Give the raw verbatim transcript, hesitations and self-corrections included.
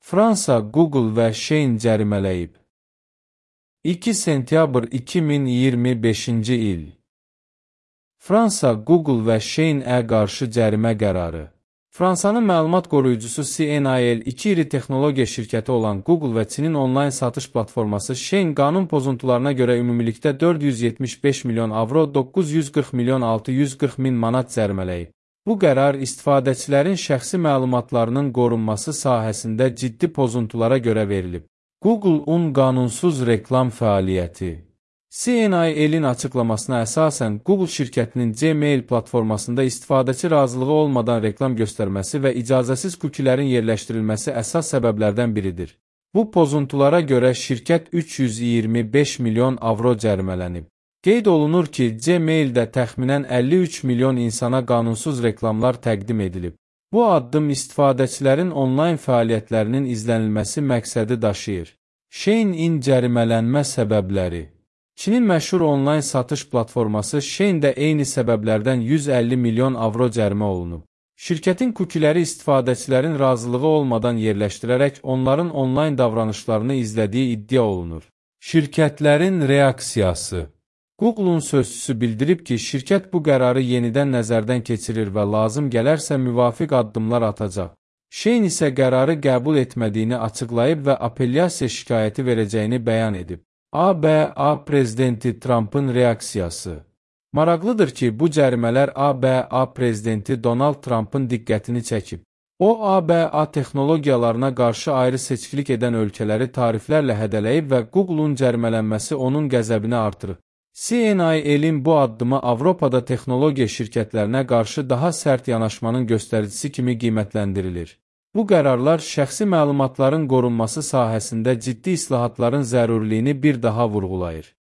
Fransa, Google və Shein cərimələyib. iki sentyabr iki min iyirmi beşinci il. Fransa, Google və Shein-ə qarşı cərimə qərarı. Fransanın məlumat qoruyucusu C N I L iki iri texnologiya şirkəti olan Google və Çinin onlayn satış platforması Shein qanun pozuntularına görə ümumilikdə dörd yüz yetmiş beş milyon avro, doqquz yüz qırx milyon altı yüz qırx min manat cərimələyib. Bu qərar istifadəçilərin şəxsi məlumatlarının qorunması sahəsində ciddi pozuntulara görə verilib. Google-un qanunsuz reklam fəaliyyəti. C N I L-in açıqlamasına əsasən, Google şirkətinin Gmail platformasında istifadəçi razılığı olmadan reklam göstərməsi və icazəsiz kukilərin yerləşdirilməsi əsas səbəblərdən biridir. Bu pozuntulara görə şirkət üç yüz iyirmi beş milyon avro cərimələnib. Qeyd olunur ki, Gmail-də təxminən əlli üç milyon insana qanunsuz reklamlar təqdim edilib. Bu addım istifadəçilərin onlayn fəaliyyətlərinin izlənilməsi məqsədi daşıyır. Shein-in cərimələnmə səbəbləri. Çinin məşhur onlayn satış platforması Shein də eyni səbəblərdən yüz əlli milyon avro cərimə olunub. Şirkətin kukiləri istifadəçilərin razılığı olmadan yerləşdirərək onların onlayn davranışlarını izlədiyi iddia olunur. Şirkətlərin reaksiyası. Google-un sözçüsü bildirib ki, şirkət bu qərarı yenidən nəzərdən keçirir və lazım gələrsə müvafiq addımlar atacaq. Shein isə qərarı qəbul etmədiyini açıqlayıb və apellyasiya şikayəti verəcəyini bəyan edib. A B A prezidenti Trumpın reaksiyası. Maraqlıdır ki, bu cərimələr A B A prezidenti Donald Trumpın diqqətini çəkib. O, A B A texnologiyalarına qarşı ayrı seçkilik edən ölkələri tariflərlə hədələyib və Google-un cərimələnməsi onun qəzəbini artırıb. C N I L-in bu addımı Avropada texnologiya şirkətlərinə qarşı daha sərt yanaşmanın göstəricisi kimi qiymətləndirilir. Bu qərarlar şəxsi məlumatların qorunması sahəsində ciddi islahatların zəruriliyini bir daha vurğulayır.